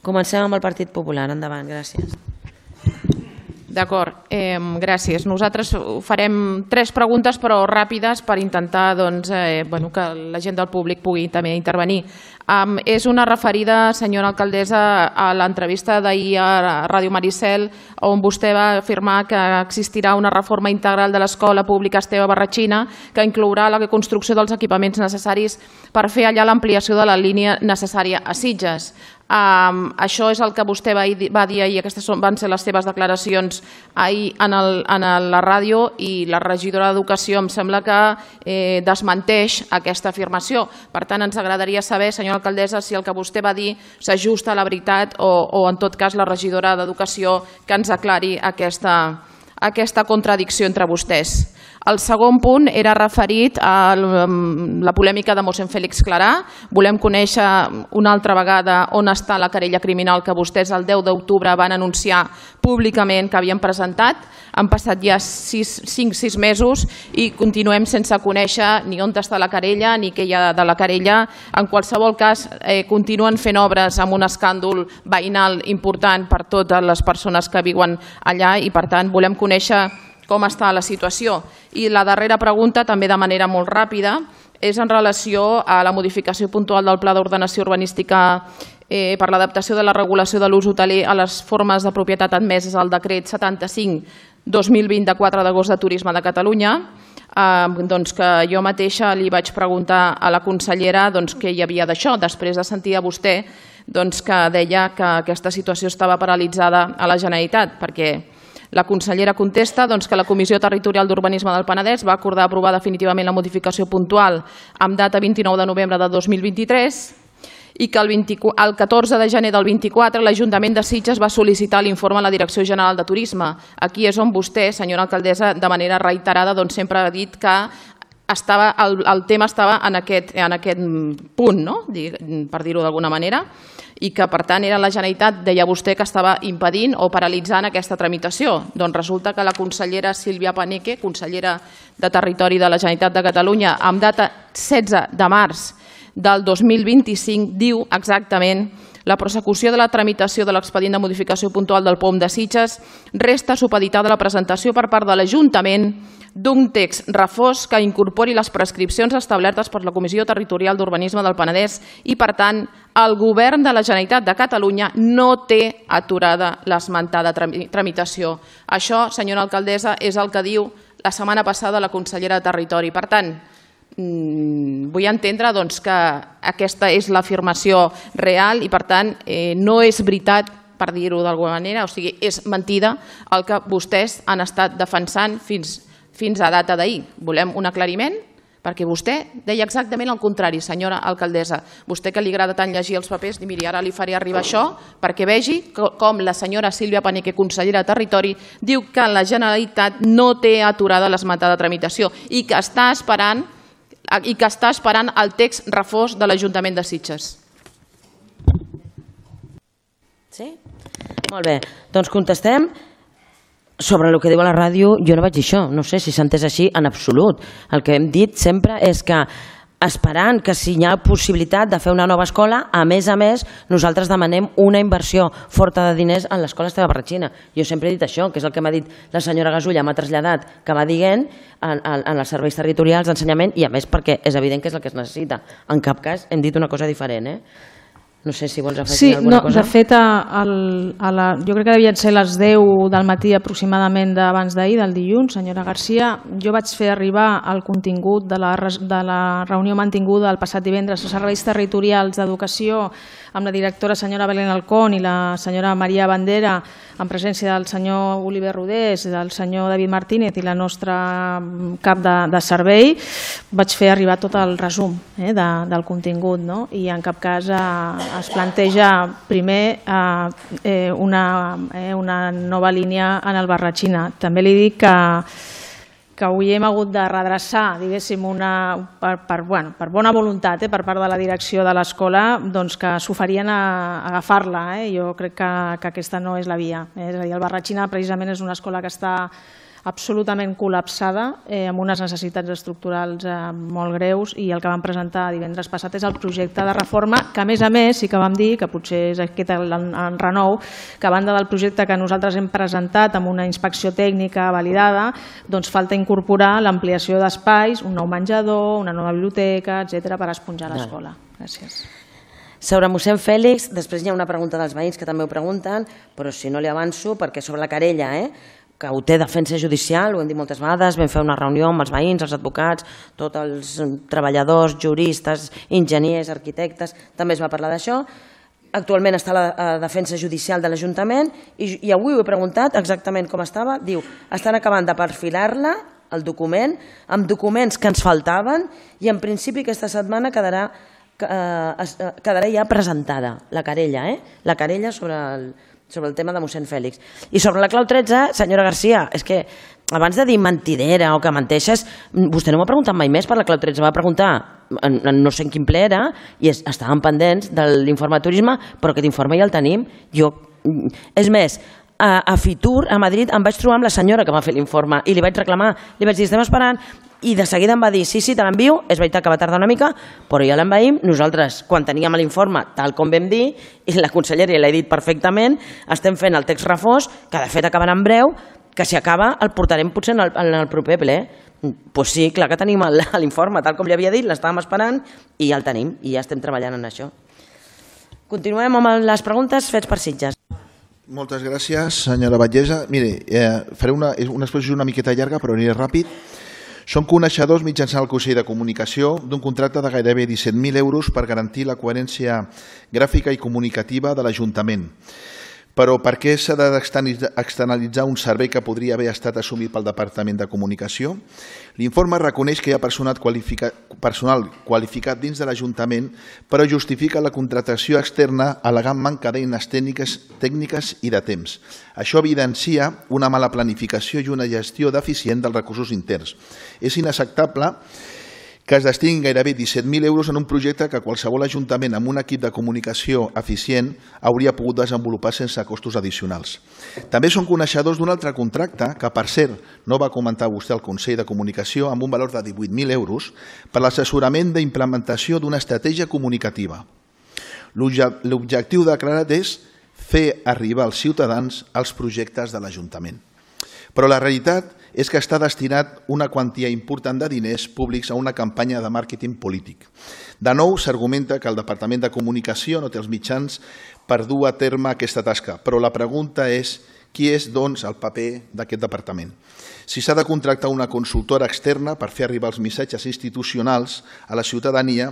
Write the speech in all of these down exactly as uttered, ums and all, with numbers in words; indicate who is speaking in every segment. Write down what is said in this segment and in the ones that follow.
Speaker 1: Comencem amb el Partit Popular. Endavant, gràcies.
Speaker 2: D'acord, eh, gràcies. Nosaltres farem tres preguntes però ràpides per intentar doncs, eh, bueno, que la gent del públic pugui també intervenir. Um, és una referida, senyora alcaldessa, a l'entrevista d'ahir a Ràdio Maricel, on vostè va afirmar que existirà una reforma integral de l'escola pública Esteve Barratxina que inclourà la construcció dels equipaments necessaris per fer allà l'ampliació de la línia necessària a Sitges. Um, això és el que vostè va, va dir ahir, aquestes van ser les seves declaracions ahir en, el, en la ràdio, i la regidora d'Educació em sembla que eh, desmenteix aquesta afirmació. Per tant, ens agradaria saber, senyora alcaldessa, si el que vostè va dir s'ajusta a la veritat o, o en tot cas la regidora d'Educació que ens aclari aquesta, aquesta contradicció entre vostès. El segon punt era referit a la polèmica de mossèn Fèlix Clarà. Volem conèixer una altra vegada on està la querella criminal que vostès el deu d'octubre van anunciar públicament que havien presentat. Han passat ja cinc sis mesos i continuem sense conèixer ni on està la querella ni què hi ha de la querella. En qualsevol cas, eh, continuen fent obres amb un escàndol veïnal important per totes les persones que viuen allà i, per tant, volem conèixer com està la situació. I la darrera pregunta, també de manera molt ràpida, és en relació a la modificació puntual del Pla d'Ordenació Urbanística eh, per l'adaptació de la regulació de l'ús hoteler a les formes de propietat admeses al decret setanta-cinc dos mil vint de quatre d'agost de Turisme de Catalunya, eh, doncs que jo mateixa li vaig preguntar a la consellera doncs, què hi havia d'això, després de sentir a vostè doncs, que deia que aquesta situació estava paralitzada a la Generalitat, perquè la consellera contesta doncs, que la Comissió Territorial d'Urbanisme del Penedès va acordar aprovar definitivament la modificació puntual amb data vint-i-nou de novembre de dos mil vint-i-tres i que el, vint, el catorze de gener del vint-i-quatre l'Ajuntament de Sitges va sol·licitar l'informe a la Direcció General de Turisme. Aquí és on vostè, senyora alcaldessa, de manera reiterada doncs, sempre ha dit que estava, el, el tema estava en aquest, en aquest punt, no? Per dir-ho d'alguna manera, i que, per tant, era la Generalitat, deia vostè, que estava impedint o paralitzant aquesta tramitació. Doncs resulta que la consellera Sílvia Paneque, consellera de Territori de la Generalitat de Catalunya, amb data setze de març del dos mil vint-i-cinc, diu exactament: la prosecució de la tramitació de l'expedient de modificació puntual del P O M de Sitges resta supeditada a la presentació per part de l'Ajuntament d'un text refós que incorpori les prescripcions establertes per la Comissió Territorial d'Urbanisme del Penedès i, per tant, el Govern de la Generalitat de Catalunya no té aturada l'esmentada tramitació. Això, senyora alcaldessa, és el que diu la setmana passada la consellera de Territori. Per tant, vull entendre doncs, que aquesta és l'afirmació real i, per tant, eh, no és veritat, per dir-ho d'alguna manera, o sigui, és mentida el que vostès han estat defensant fins, fins a data d'ahir. Volem un aclariment, perquè vostè deia exactament el contrari, senyora alcaldessa. Vostè, que li agrada tant llegir els papers, i miri, ara li faré arribar això perquè vegi com la senyora Sílvia Paneque, consellera de Territori, diu que la Generalitat no té aturada l'esmentada tramitació i que està esperant i que està esperant el text refós de l'Ajuntament de Sitges.
Speaker 1: Sí? Molt bé, doncs contestem. Sobre el que diu a la ràdio, jo no vaig dir això, no sé si s'ha entès així en absolut. El que hem dit sempre és que, esperant que si hi ha possibilitat de fer una nova escola, a més a més, nosaltres demanem una inversió forta de diners en l'escola Esteve Barratxina. Jo sempre he dit això, que és el que m'ha dit la senyora Gasulla, m'ha traslladat, que va dient en, en, en els serveis territorials d'ensenyament, i a més perquè és evident que és el que es necessita. En cap cas hem dit una cosa diferent, eh? No sé si vols afegir
Speaker 3: sí,
Speaker 1: alguna
Speaker 3: no,
Speaker 1: cosa.
Speaker 3: De fet, a, a la, jo crec que devien ser les deu del matí aproximadament d'abans d'ahir, del dilluns, senyora Garcia. Jo vaig fer arribar el contingut de la, de la reunió mantinguda el passat divendres als serveis territorials d'educació amb la directora senyora Belén Alcón i la senyora Maria Bandera, en presència del senyor Oliver Rodés, del senyor David Martínez i la nostra cap de, de servei. Vaig fer arribar tot el resum eh, de, del contingut, no? I en cap cas eh, es planteja primer eh, una, eh, una nova línia en el Barratxina. També li dic que que avui hem hagut de redreçar, diguéssim, una, per, per, bueno, per bona voluntat eh, per part de la direcció de l'escola, doncs que s'oferien a, a agafar-la. Eh? Jo crec que, que aquesta no és la via. Eh? És a dir, el Barratxina precisament és una escola que està absolutament col·lapsada, eh, amb unes necessitats estructurals eh, molt greus, i el que vam presentar divendres passat és el projecte de reforma, que a més a més sí que vam dir, que potser és aquest el, el renou, que a banda del projecte que nosaltres hem presentat amb una inspecció tècnica validada, doncs falta incorporar l'ampliació d'espais, un nou menjador, una nova biblioteca, etcètera, per esponjar l'escola. Gràcies.
Speaker 1: Sobre mossèn Fèlix, després hi ha una pregunta dels veïns que també ho pregunten, però si no li avanço, perquè sobre la querella, eh, que ho té defensa judicial, ho hem dit moltes vegades, vam fer una reunió amb els veïns, els advocats, tots els treballadors, juristes, enginyers, arquitectes, també es va parlar d'això. Actualment està a la defensa judicial de l'Ajuntament i, i avui ho he preguntat exactament com estava. Diu, estan acabant de perfilar-la, el document, amb documents que ens faltaven, i en principi aquesta setmana quedarà, eh, quedarà ja presentada la querella, eh? la querella sobre el sobre el tema de mossèn Fèlix. I sobre la clau tretze, senyora Garcia, és que abans de dir mentidera o que menteixes, vostè no m'ha preguntat mai més per la clau tretze, va preguntar, en, en no sé en quin ple era, i es, estàvem pendents de l'informe de turisme, però aquest informe ja el tenim. Jo, és més, a, a Fitur, a Madrid, em vaig trobar amb la senyora que va fer l'informe i li vaig reclamar, li vaig dir, estem esperant, i de seguida em va dir, sí, sí, te l'envio, és veritat que va tardar una mica, però ja l'envaïm. Nosaltres, quan teníem l'informe, tal com vam dir, i la consellera l'ha dit perfectament, estem fent el text refós, que de fet acabarà en breu, que si acaba el portarem potser en el, en el proper ple. Doncs pues sí, clar que tenim l'informe, tal com li havia dit, l'estàvem esperant, i ja el tenim, i ja estem treballant en això. Continuem amb les preguntes fets per Sitges.
Speaker 4: Moltes gràcies, senyora Batllessa. Mire, eh, faré una, una exposició una miqueta llarga, però aniré ràpid. Som coneixedors mitjançant el Consell de Comunicació d'un contracte de gairebé disset mil euros per garantir la coherència gràfica i comunicativa de l'Ajuntament. Però per què s'ha d'externalitzar un servei que podria haver estat assumit pel Departament de Comunicació? L'informe reconeix que hi ha personal qualificat, personal qualificat dins de l'Ajuntament, però justifica la contractació externa al·legant manca d'eines tècniques, tècniques i de temps. Això evidencia una mala planificació i una gestió deficient dels recursos interns. És inacceptable que es destinin gairebé disset mil euros en un projecte que qualsevol ajuntament amb un equip de comunicació eficient hauria pogut desenvolupar sense costos addicionals. També són coneixedors d'un altre contracte que, per cert, no va comentar vostè al Consell de Comunicació, amb un valor de divuit mil euros per l'assessorament d'implementació d'una estratègia comunicativa. L'objectiu declarat és fer arribar als ciutadans els projectes de l'Ajuntament. Però la realitat és que està destinat una quantia important de diners públics a una campanya de màrqueting polític. De nou, s'argumenta que el Departament de Comunicació no té els mitjans per dur a terme aquesta tasca, però la pregunta és qui és, doncs, el paper d'aquest departament. Si s'ha de contractar una consultora externa per fer arribar els missatges institucionals a la ciutadania,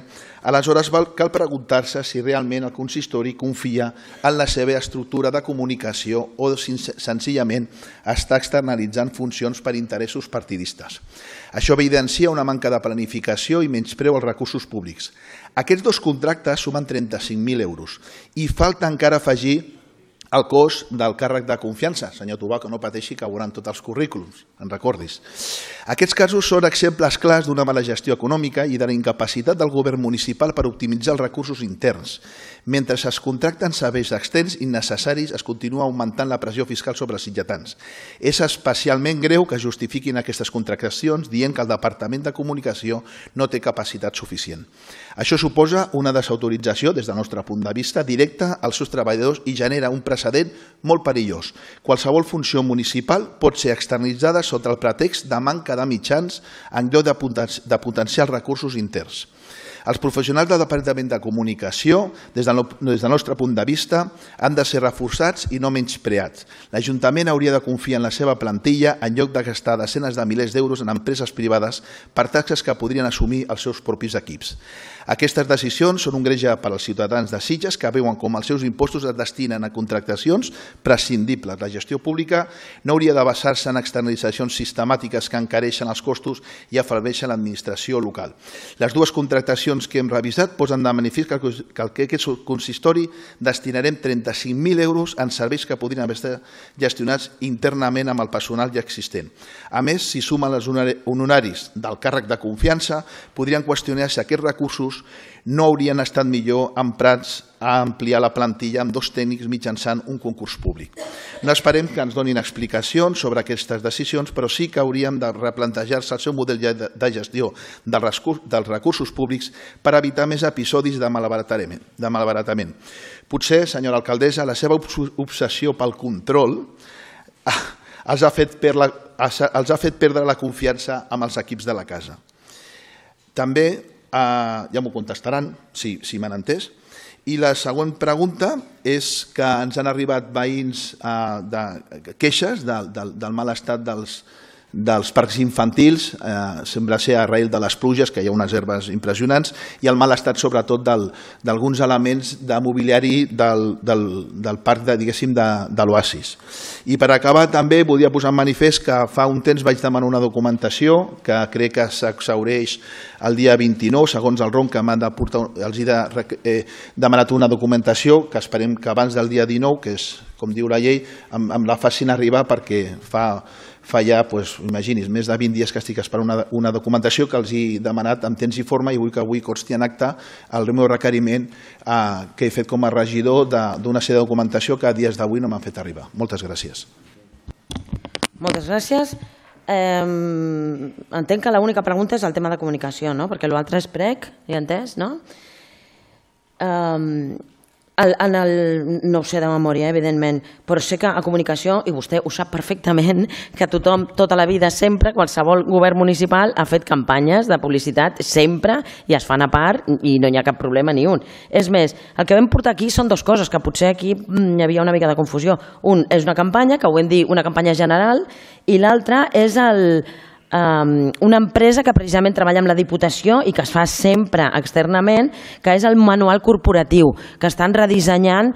Speaker 4: aleshores cal preguntar-se si realment el consistori confia en la seva estructura de comunicació o senzillament està externalitzant funcions per interessos partidistes. Això evidencia una manca de planificació i menyspreu als recursos públics. Aquests dos contractes sumen trenta-cinc mil euros i falta encara afegir el cost del càrrec de confiança. Senyor Tobà, que no pateixi, que veuran tots els currículums, en recordis. Aquests casos són exemples clars d'una mala gestió econòmica i de la incapacitat del govern municipal per optimitzar els recursos interns. Mentre es contracten serveis externs innecessaris, es continua augmentant la pressió fiscal sobre els sitgetans. És especialment greu que justifiquin aquestes contractacions dient que el Departament de Comunicació no té capacitat suficient. Això suposa una desautorització, des del nostre punt de vista, directa als seus treballadors i genera un precedent molt perillós. Qualsevol funció municipal pot ser externalitzada sota el pretext de manca de mitjans en lloc de potenciar els recursos interns. Els professionals del Departament de Comunicació, des del nostre punt de vista, han de ser reforçats i no menyspreats. L'Ajuntament hauria de confiar en la seva plantilla en lloc de gastar desenes de milers d'euros en empreses privades per taxes que podrien assumir els seus propis equips. Aquestes decisions són un greuge per als ciutadans de Sitges que veuen com els seus impostos es destinen a contractacions prescindibles. La gestió pública no hauria de basar-se en externalitzacions sistemàtiques que encareixen els costos i afebleixen l'administració local. Les dues contractacions que hem revisat posen de manifest que al que aquest consistori destinarem trenta-cinc mil euros en serveis que podrien haver estat gestionats internament amb el personal ja existent. A més, si sumen els honoraris del càrrec de confiança, podrien qüestionar si aquests recursos no haurien estat millor emprats a ampliar la plantilla amb dos tècnics mitjançant un concurs públic. No esperem que ens donin explicacions sobre aquestes decisions, però sí que hauríem de replantejar-se el seu model de gestió dels recursos públics per evitar més episodis de malbaratament. Potser, senyora alcaldessa, la seva obsessió pel control els ha fet perdre la confiança amb els equips de la casa. També, ja m'ho contestaran, si m'han entès, i la següent pregunta és que ens han arribat veïns de queixes del mal estat dels parcs infantils, sembla ser a arrel de les pluges, que hi ha unes herbes impressionants, i el mal estat sobretot d'alguns elements de mobiliari del parc, diguéssim, de l'Oasis. I per acabar també volia posar en manifest que fa un temps vaig demanar una documentació que crec que s'exhaureix el dia vint-i-nou, segons el R O M, que els he demanat una documentació que esperem que abans del dia dinou, que és, com diu la llei, em la facin arribar perquè fa fa ja, imagini's, més de vint dies que estic esperant una documentació que els he demanat en temps i forma i vull que avui consti en acte el meu requeriment que he fet com a regidor d'una sèrie de documentació que a dies d'avui no m'han fet arribar. Moltes gràcies.
Speaker 1: Moltes gràcies. Entenc que l'única pregunta és el tema de comunicació, perquè l'altre és prec, ja entès, no? No ho sé de memòria, evidentment, però sé que a comunicació, i vostè ho sap perfectament, que tothom, tota la vida, sempre, qualsevol govern municipal ha fet campanyes de publicitat, sempre, i es fan a part, i no hi ha cap problema ni un. És més, el que vam portar aquí són dues coses, que potser aquí hi havia una mica de confusió. Un és una campanya, que ho vam dir, una campanya general, i l'altra és el... una empresa que precisament treballa amb la Diputació i que es fa sempre externament, que és el manual corporatiu, que estan redissenyant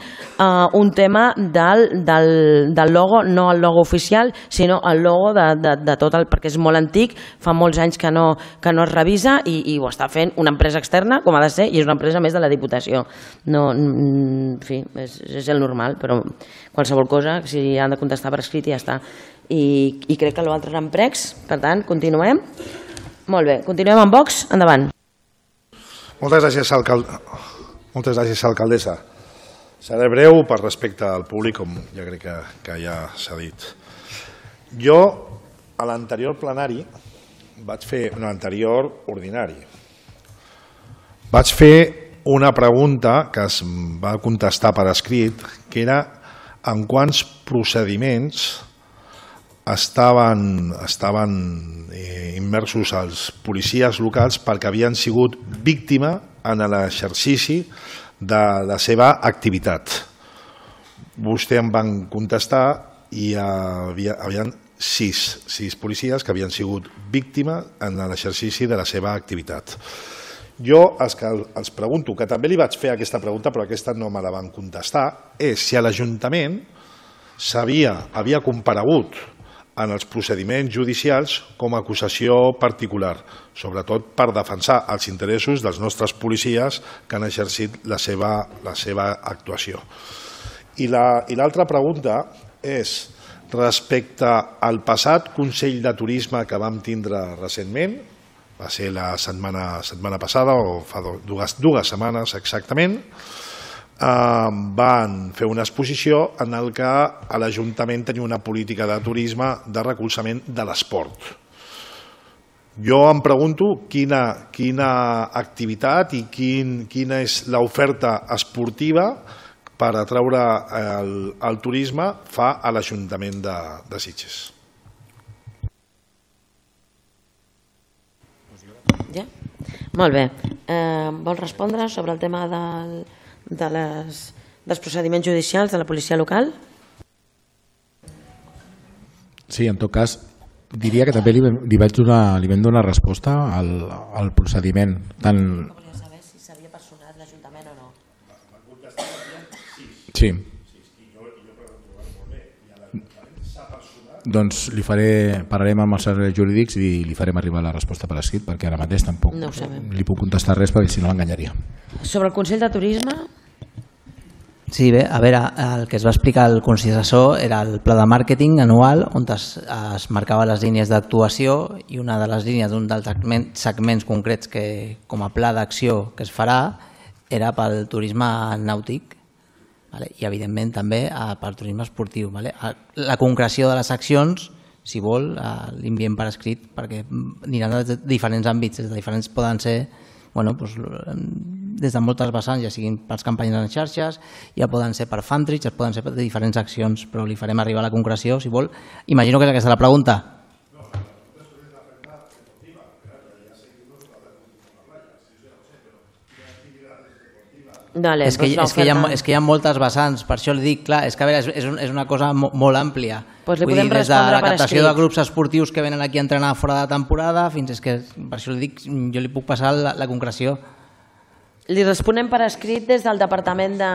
Speaker 1: un tema del logo, no el logo oficial, sinó el logo de tot el... perquè és molt antic, fa molts anys que no es revisa i ho està fent una empresa externa, com ha de ser, i és una empresa més de la Diputació. En fi, és el normal, però qualsevol cosa, si han de contestar per escrit ja està. I crec que l'altre eren pregs, per tant, continuem. Molt bé, continuem amb Vox, endavant.
Speaker 5: Moltes gràcies, alcaldessa. Seré breu per respecte al públic, com ja crec que ja s'ha dit. Jo, a l'anterior plenari, vaig fer, no, l'anterior ordinari, vaig fer una pregunta que es va contestar per escrit, que era en quants procediments estaven immersos els policies locals perquè havien sigut víctima en l'exercici de la seva activitat. Vostè em van contestar i hi havia sis policies que havien sigut víctima en l'exercici de la seva activitat. Jo els pregunto, que també li vaig fer aquesta pregunta però aquesta no me la van contestar, és si a l'Ajuntament havia comparegut en els procediments judicials com a acusació particular, sobretot per defensar els interessos dels nostres policies que han exercit la seva actuació. I l'altra pregunta és respecte al passat Consell de Turisme que vam tindre recentment, va ser la setmana passada o fa dues setmanes exactament, van fer una exposició en què l'Ajuntament tenia una política de turisme de recolzament de l'esport. Jo em pregunto quina activitat i quina és l'oferta esportiva per atraure el turisme fa a l'Ajuntament de Sitges.
Speaker 1: Ja? Molt bé. Vol respondre sobre el tema del... dels procediments judicials de la policia local?
Speaker 6: Sí, en tot cas, diria que també li vaig donar, li vam donar resposta al procediment. Tant...
Speaker 1: Volia saber si s'havia personat l'Ajuntament o no.
Speaker 6: Sí. Doncs li faré, parlarem amb els serveis jurídics i li farem arribar la resposta per escrit, perquè ara mateix tampoc li puc contestar res perquè si no l'enganyaria.
Speaker 1: Sobre el Consell de Turisme?
Speaker 7: Sí, bé, a veure, el que es va explicar al Consell Assessor era el pla de màrqueting anual on es, es marcava les línies d'actuació i una de les línies d'un dels segments concrets que com a pla d'acció que es farà era pel turisme nàutic i evidentment també pel turisme esportiu. La concreció de les accions, si vol, l'enviem per escrit perquè aniran de diferents àmbits, des de diferents poden ser des de moltes vessants, ja siguin pels campanyes en xarxes, ja poden ser per fundraise, ja poden ser per diferents accions, però li farem arribar la concreció, si vol. Imagino que és aquesta la pregunta.
Speaker 1: Dale,
Speaker 7: és, que, és, que hi ha, és que hi ha moltes vessants, per això li dic, clar, és que a veure, és, és una cosa molt, molt àmplia.
Speaker 1: Pues li
Speaker 7: Vull
Speaker 1: podem
Speaker 7: dir, des de la
Speaker 1: respondre per
Speaker 7: captació
Speaker 1: escrit.
Speaker 7: de grups esportius que venen aquí a entrenar fora de temporada, fins és que, per això li dic, jo li puc passar la, la concreció.
Speaker 1: Li responem per escrit des del Departament de,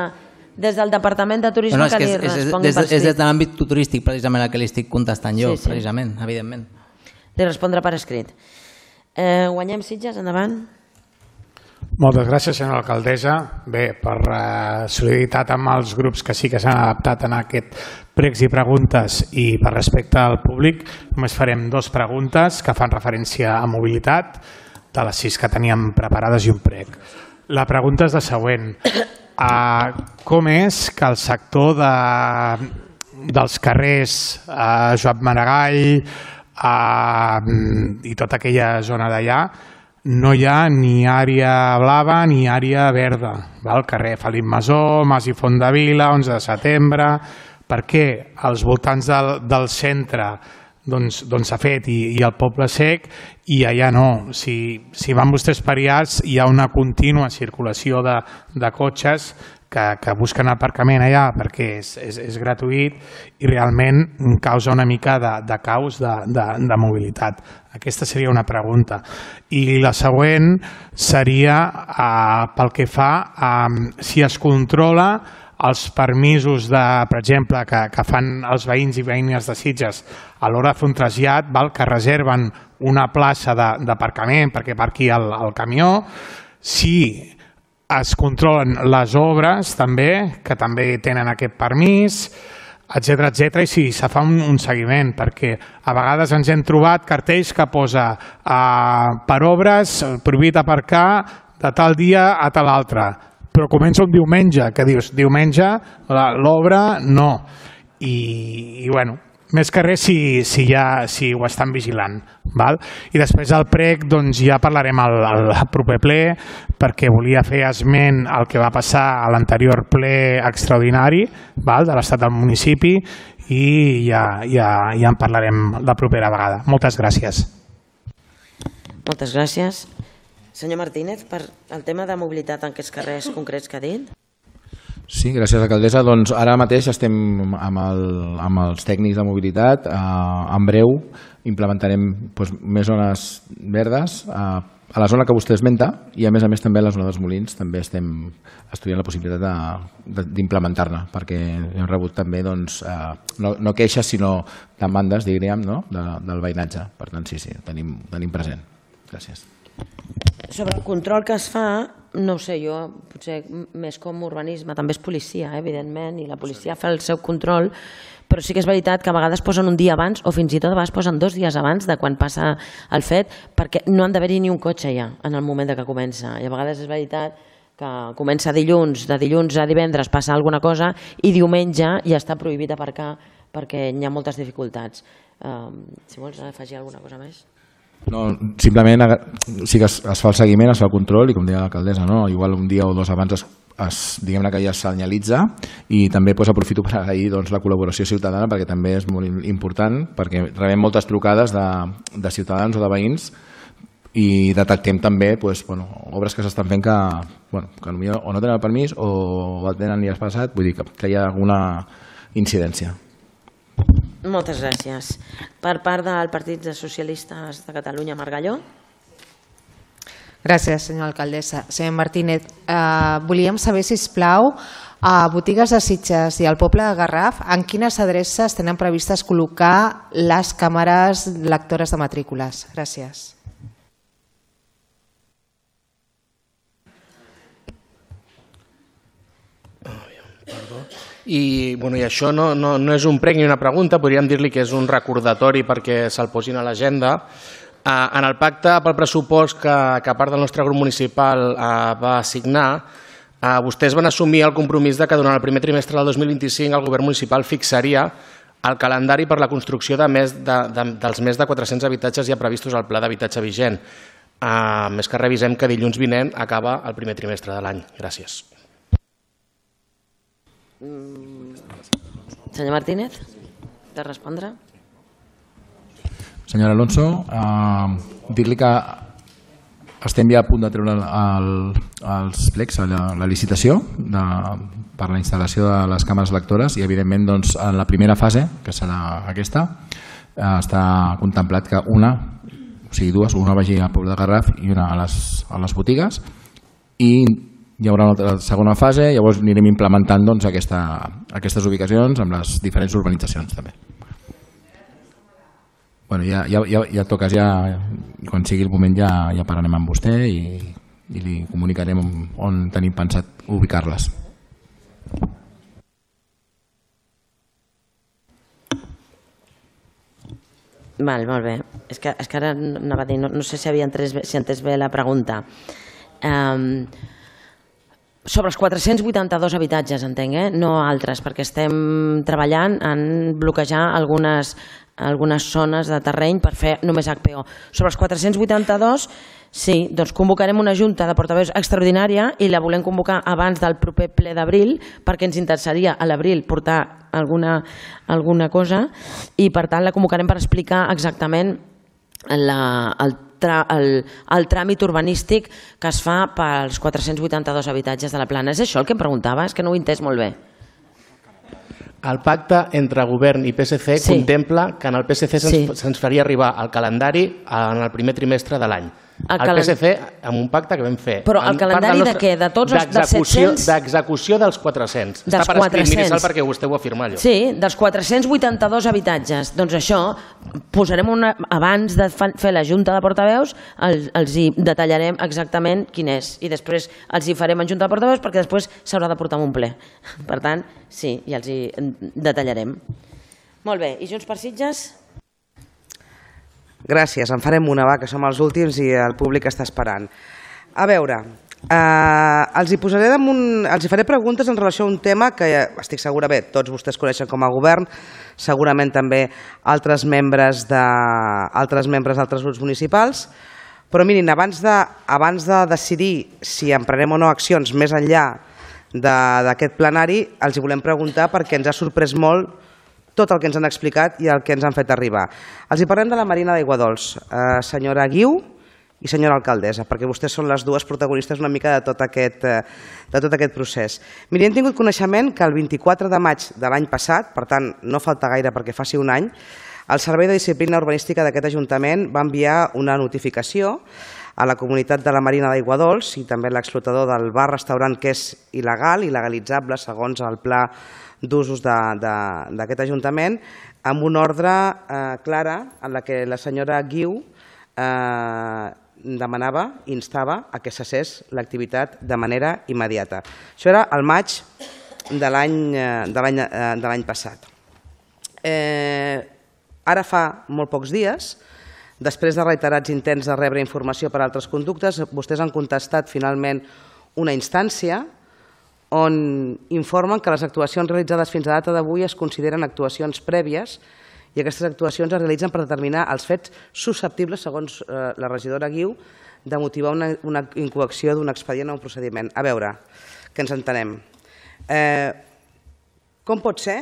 Speaker 1: des del Departament de Turisme
Speaker 7: no, no,
Speaker 1: que,
Speaker 7: que
Speaker 1: li
Speaker 7: és, és,
Speaker 1: responguin
Speaker 7: és,
Speaker 1: per
Speaker 7: és
Speaker 1: escrit.
Speaker 7: des de l'àmbit turístic, precisament, el que li estic contestant jo,
Speaker 1: Sí, sí.
Speaker 7: precisament, evidentment.
Speaker 1: Li respondre per escrit. Eh, guanyem Sitges, endavant.
Speaker 8: Moltes gràcies, senyora alcaldessa. Bé, per eh, solidaritat amb els grups que sí que s'han adaptat en aquest pregs i preguntes i per respecte al públic, només farem dues preguntes que fan referència a mobilitat, de les sis que teníem preparades i un prec. La pregunta és la següent. Uh, com és que el sector de, dels carrers uh, Joan Maragall uh, i tota aquella zona d'allà no hi ha ni àrea blava ni àrea verda? El carrer Felip Masó, Mas i Fondavila, onze de setembre... Per què als voltants del, del centre doncs, doncs s'ha fet i, i el Poble Sec i allà no? Si, si van vostès per allà hi ha una contínua circulació de, de cotxes que, que busquen aparcament allà perquè és, és, és gratuït i realment causa una mica de, de caos de, de, de mobilitat. Aquesta seria una pregunta. I la següent seria uh, pel que fa a um, si es controla els permisos, de, per exemple, que, que fan els veïns i veïnes de Sitges a l'hora de fer un trasllat, val, que reserven una plaça d'aparcament perquè parqui el, el camió, si es controlen les obres també, que també tenen aquest permís, etcètera, etcètera, i si se fa un, un seguiment, perquè a vegades ens hem trobat cartells que posa uh, per obres, prohibit aparcar de tal dia a tal altre, però comença un diumenge, que dius, diumenge, l'obra no. I, i bueno, més que res si, si, ja, si ho estan vigilant. Val? I després al prec doncs, ja parlarem al, al proper ple, perquè volia fer esment al que va passar a l'anterior ple extraordinari, val? De l'estat del municipi, i ja, ja, ja en parlarem la propera vegada. Moltes gràcies.
Speaker 1: Moltes gràcies. Senyor Martínez, per el tema de mobilitat en aquests carrers concrets que ha dit.
Speaker 6: Sí, gràcies, alcaldessa. Doncs ara mateix estem amb, el, amb els tècnics de mobilitat. Eh, en breu implementarem doncs, més zones verdes eh, a la zona que vostè esmenta i a més a més també a la zona dels Molins també estem estudiant la possibilitat d'implementar-ne perquè hem rebut també doncs, eh, no, no queixes sinó demandes, diríem, no? de, del veïnatge. Per tant, sí, sí, tenim, tenim present. Gràcies.
Speaker 1: Sobre el control que es fa, no ho sé, jo potser més com urbanisme, també és policia, eh, evidentment, i la policia fa el seu control, però sí que és veritat que a vegades posen un dia abans o fins i tot a vegades posen dos dies abans de quan passa el fet, perquè no han d'haver-hi ni un cotxe ja en el moment que comença. I a vegades és veritat que comença dilluns, de dilluns a divendres passa alguna cosa i diumenge ja està prohibit aparcar perquè hi ha moltes dificultats. Um, si vols afegir alguna cosa més?
Speaker 6: No, simplement sí que es, es fa el seguiment, es fa el control i com deia l'alcaldessa, no? Igual un dia o dos abans es, es, diguem-ne que ja es senyalitza i també pues, aprofito per agrair doncs, la col·laboració ciutadana perquè també és molt important perquè rebem moltes trucades de, de ciutadans o de veïns i detectem també pues, bueno, obres que s'estan fent que, bueno, que o no tenen el permís o el tenen i has passat, vull dir que, que hi ha alguna incidència.
Speaker 1: Moltes gràcies. Per part del Partit de Socialistes de Catalunya, Margalló.
Speaker 9: Gràcies, senyora alcaldessa. Senyor Martínez, eh, volíem saber, si us plau, a botigues de Sitges i al poble de Garraf, en quines adreces tenen previstes col·locar les càmeres lectores de matrícules? Gràcies.
Speaker 10: I, bueno, i això no, no, no és un prec ni una pregunta, podríem dir-li que és un recordatori perquè se'l posin a l'agenda. Eh, en el pacte pel pressupost que, que part del nostre grup municipal eh, va signar, Vostès van assumir el compromís que durant el primer trimestre del dos mil vint-i-cinc el govern municipal fixaria el calendari per la construcció dels més de quatre-cents habitatges ja previstos al pla d'habitatge vigent. Més que revisem que dilluns vinent acaba el primer trimestre de l'any. Gràcies.
Speaker 1: Senyor Martínez, de respondre?
Speaker 6: Senyor Alonso, dir-li que estem ja a punt de treure els plecs a la licitació per la instal·lació de les càmeres lectores i, evidentment, en la primera fase, que serà aquesta, està contemplat que una, o sigui, dues, una vagi al poble de Garraf i una a les botigues, i hi haurà una segona fase, llavors anirem implementant aquestes ubicacions amb les diferents urbanitzacions també. Bueno, ja, ja, ja toques, ja, quan sigui el moment ja, ja parlarem amb vostè i, i li comunicarem on, on tenim pensat ubicar-les.
Speaker 1: Val, molt bé. És que, és que ara anava a dir, no, no sé si havia entès, si entès bé la pregunta. Um, sobre els quatre-cents vuitanta-dos habitatges, entenc, eh? No altres, perquè estem treballant en bloquejar algunes algunes zones de terreny per fer només H P O. Sobre els quatre-cents vuitanta-dos, sí, doncs convocarem una junta de portaveus extraordinària i la volem convocar abans del proper ple d'abril perquè ens interessaria a l'abril portar alguna, alguna cosa i per tant la convocarem per explicar exactament la, el, tra, el, el tràmit urbanístic que es fa pels quatre-cents vuitanta-dos habitatges de la plana. És això el que em preguntava? És que no ho he entès molt bé.
Speaker 10: El pacte entre govern i P S C sí. contempla que en el P S C se'ns sí. se faria arribar el calendari en el primer trimestre de l'any. El, el P S C amb un pacte que vam fer.
Speaker 1: Però el calendari nostre, de què? De tots els dels set-cents?
Speaker 10: D'execució dels quatre-cents. Dels Està per escrit, miri, perquè vostè ho afirma allò.
Speaker 1: Sí, dels quatre-cents vuitanta-dos habitatges. Doncs això, posarem una, abans de fer la junta de portaveus, els, els hi detallarem exactament quin és. I després els hi farem en junta de portaveus perquè després s'haurà de portar en un ple. Per tant, sí, ja els hi detallarem. Molt bé, i Junts per Sitges?
Speaker 11: Gràcies, en farem una, va, que som els últims i el públic està esperant. A veure, eh, els hi posaré damunt, els hi faré preguntes en relació a un tema que estic segura, bé, tots vostès coneixen com a govern, segurament també altres membres de, altres membres d'altres grups municipals, però mirin, abans de, abans de decidir si emprenem o no accions més enllà d'aquest plenari, els hi volem preguntar perquè ens ha sorprès molt tot el que ens han explicat i el que ens han fet arribar. Els hi parlem de la Marina d'Aiguadols, eh, senyora Guiu i senyora alcaldessa, perquè vostès són les dues protagonistes una mica de tot aquest, eh, de tot aquest procés. Miri, hem tingut coneixement que el vint-i-quatre de maig de l'any passat, per tant, no falta gaire perquè faci un any, el Servei de Disciplina Urbanística d'aquest Ajuntament va enviar una notificació a la comunitat de la Marina d'Aiguadols i també l'explotador del bar-restaurant que és il·legal, il·legalitzable segons el pla d'usos d'aquest Ajuntament, amb una ordre eh, clara en la que la senyora Guiu eh, demanava, instava a que cessés l'activitat de manera immediata. Això era el maig de l'any passat. Eh, ara fa molt pocs dies, després de reiterats intents de rebre informació per altres conductes, vostès han contestat finalment una instància on informen que les actuacions realitzades fins a data d'avui es consideren actuacions prèvies i aquestes actuacions es realitzen per determinar els fets susceptibles, segons eh, la regidora Guiu, de motivar una, una incoacció d'un expedient o un procediment. A veure, que ens entenem. Eh, com pot ser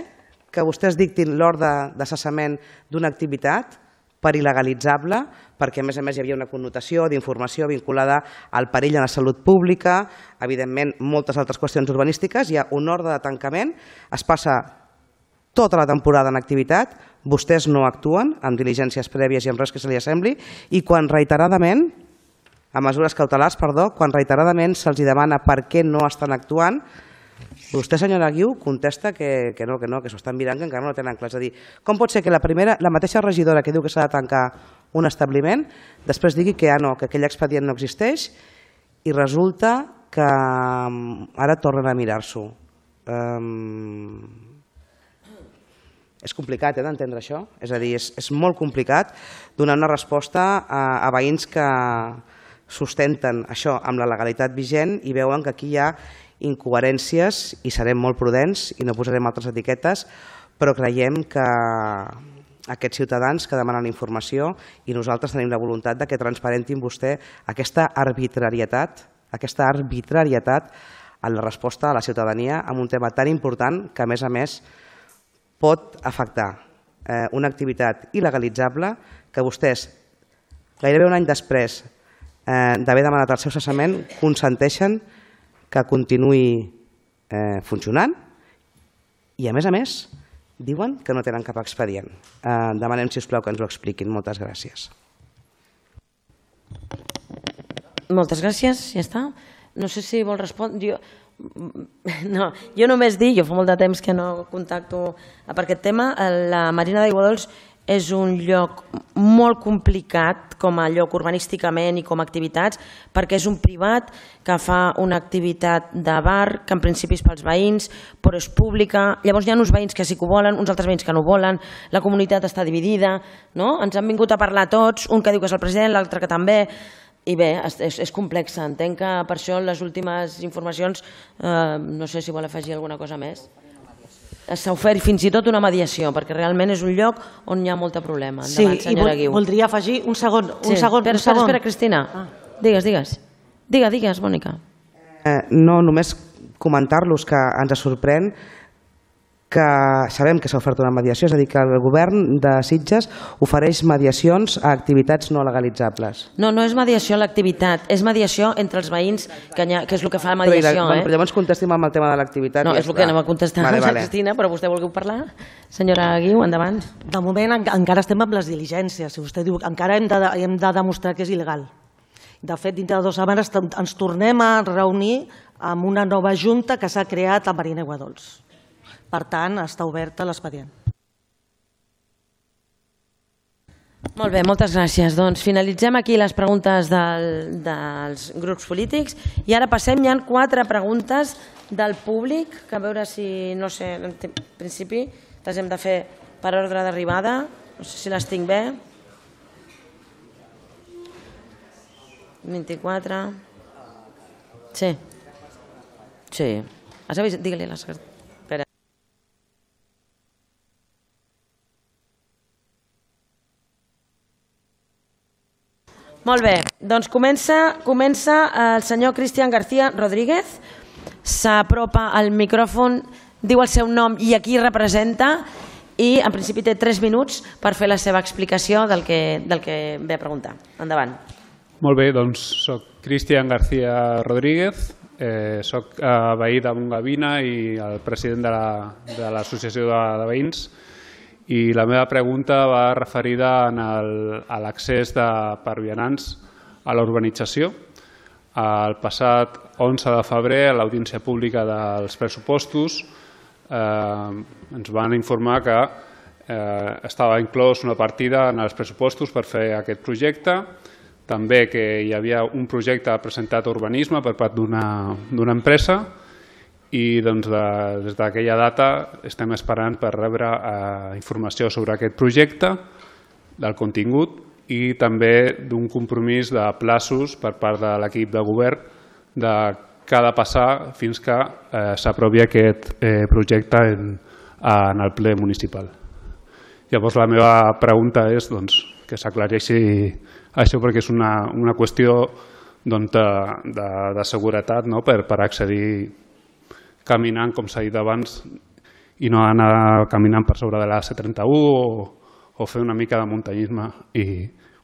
Speaker 11: que vostès dictin l'ordre de cessament d'una activitat per il·legalitzable, perquè a més a més hi havia una connotació d'informació vinculada al perill a la salut pública, evidentment moltes altres qüestions urbanístiques, hi ha un ordre de tancament, es passa tota la temporada en activitat, vostès no actuen amb diligències prèvies i amb res que se li assembli, i quan reiteradament, a mesures cautelars, perdó, quan reiteradament se'ls demana per què no estan actuant, vostè, senyora Guiu, contesta que, que no, que no, que s'ho estan mirant, que encara no ho tenen clar. És a dir, com pot ser que la, primera, la mateixa regidora que diu que s'ha de tancar un establiment, després digui que ah, no, que aquell expedient no existeix i resulta que ara tornen a mirar-s'ho. Um, és complicat eh, d'entendre això, és a dir, és, és molt complicat donar una resposta a, a veïns que sustenten això amb la legalitat vigent i veuen que aquí hi ha incoherències i serem molt prudents i no posarem altres etiquetes, però creiem que aquests ciutadans que demanen informació i nosaltres tenim la voluntat de que transparentin vostè aquesta arbitrarietat, aquesta arbitrarietat en la resposta a la ciutadania en un tema tan important que, a més a més, pot afectar eh, una activitat il·legalitzable que vostès, gairebé un any després eh, d'haver demanat el seu cessament, consenteixen que continuï eh, funcionant i, a més a més, diuen que no tenen cap expedient. Eh, demanem, si us plau, que ens ho expliquin. Moltes gràcies.
Speaker 1: Moltes gràcies, ja està. No sé si vol respondre. Jo, no, jo només dic, jo fa molt de temps que no contacto per aquest tema, la Marina d'Aiguadols és un lloc molt complicat com a lloc urbanísticament i com a activitats, perquè és un privat que fa una activitat de bar, que en principi és pels veïns, però és pública. Llavors hi ha uns veïns que sí que ho volen, uns altres veïns que no ho volen, la comunitat està dividida, no? Ens han vingut a parlar tots, un que diu que és el president, l'altre que també, i bé, és, és complex. Entenc que per això les últimes informacions, eh, no sé si vol afegir alguna cosa més. S'ha ofert fins i tot una mediació, perquè realment és un lloc on hi ha molta problema. Endavant,
Speaker 12: sí, i vol, voldria afegir un segon. Un
Speaker 1: sí.
Speaker 12: segon,
Speaker 1: espera,
Speaker 12: un segon.
Speaker 1: espera, Cristina. Ah. Digues, digues. Digues, digues, Mònica.
Speaker 11: Eh, no, només comentar-los que ens sorprèn que sabem que s'ha ofert una mediació, és a dir, que el govern de Sitges ofereix mediacions a activitats no legalitzables.
Speaker 1: No, no és mediació a l'activitat, és mediació entre els veïns, que, ha, que és el que fa la mediació.
Speaker 11: Però,
Speaker 1: eh?
Speaker 11: però llavors contestim amb el tema de l'activitat.
Speaker 1: No,
Speaker 11: ja
Speaker 1: és el que anem a contestar, vale, vale. Cristina, però vostè volgueu parlar? Senyora Guiu, endavant.
Speaker 12: De moment en, encara estem amb les diligències. Si vostè diu, encara hem de, hem de demostrar que és il·legal. De fet, dintre de dues setmanes ens tornem a reunir amb una nova junta que s'ha creat a Marina Aiguadols. Per tant, està oberta l'expedient.
Speaker 1: Molt bé, moltes gràcies. Doncs finalitzem aquí les preguntes del, dels grups polítics i ara passem, hi ha quatre preguntes del públic, que a veure si, no sé, en principi les hem de fer per ordre d'arribada, no sé si les tinc bé. vint-i-quatre. Sí. Sí. Has avisat? Digue-li a la secretària. Molt bé, doncs comença, comença el senyor Cristian García Rodríguez, s'apropa al micròfon, diu el seu nom i a qui representa i en principi té tres minuts per fer la seva explicació del que, del que ve a preguntar. Endavant.
Speaker 13: Molt bé, doncs soc Cristian García Rodríguez, eh, soc eh, veí de Montgavina i el president de l'Associació de, de Veïns. I la meva pregunta va referida a l'accés per vianants a la urbanització. El passat onze de febrer, a l'audiència pública dels pressupostos, eh, ens van informar que eh, estava inclòs una partida en els pressupostos per fer aquest projecte, també que hi havia un projecte presentat a urbanisme per part d'una empresa, i doncs, de, des d'aquella data estem esperant per rebre eh, informació sobre aquest projecte, del contingut i també d'un compromís de plaços per part de l'equip de govern de què ha de passar fins que eh, s'aprovi aquest eh, projecte en, en el ple municipal. Llavors la meva pregunta és doncs, que s'aclareixi això perquè és una, una qüestió doncs, de, de, de seguretat, no? per, per accedir caminant, com s'ha dit abans, i no anar caminant per sobre de la C trenta-u o, o fer una mica de muntanyisme. I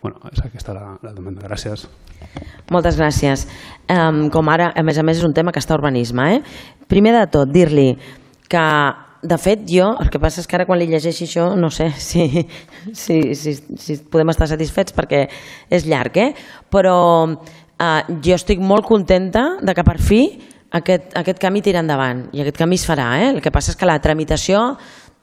Speaker 13: bueno, és aquesta la, la demanda. Gràcies.
Speaker 1: Moltes gràcies. Um, com ara, a més a més, és un tema que està a urbanisme. Eh? Primer de tot, dir-li que, de fet, jo, el que passa és que ara quan li llegeixi això, no sé si, si, si, si podem estar satisfets perquè és llarg, eh? però uh, jo estic molt contenta de que per fi Aquest, aquest camí tira endavant i aquest camí es farà. Eh? El que passa és que la tramitació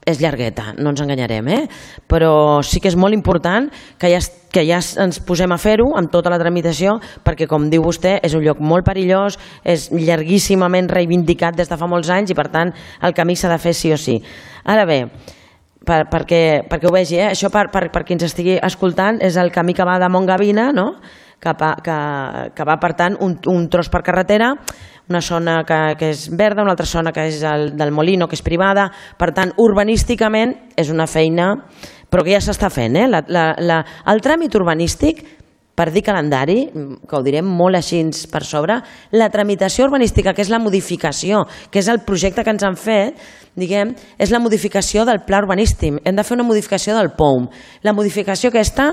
Speaker 1: és llargueta, no ens enganyarem, eh? però sí que és molt important que ja, que ja ens posem a fer-ho amb tota la tramitació perquè, com diu vostè, és un lloc molt perillós, és llarguíssimament reivindicat des de fa molts anys i, per tant, el camí s'ha de fer sí o sí. Ara bé, per, perquè, perquè ho vegi, eh? això per, per, per qui ens estigui escoltant és el camí que va de Montgavina, no? que, que, que va, per tant, un, un tros per carretera, una zona que, que és verda, una altra zona que és el, del Molino, que és privada. Per tant, urbanísticament és una feina, però que ja s'està fent. Eh? La, la, la, el tràmit urbanístic, per dir calendari, que ho direm molt així per sobre, la tramitació urbanística, que és la modificació, que és el projecte que ens han fet, diguem, és la modificació del pla urbanístic. Hem de fer una modificació del P O U M. La modificació aquesta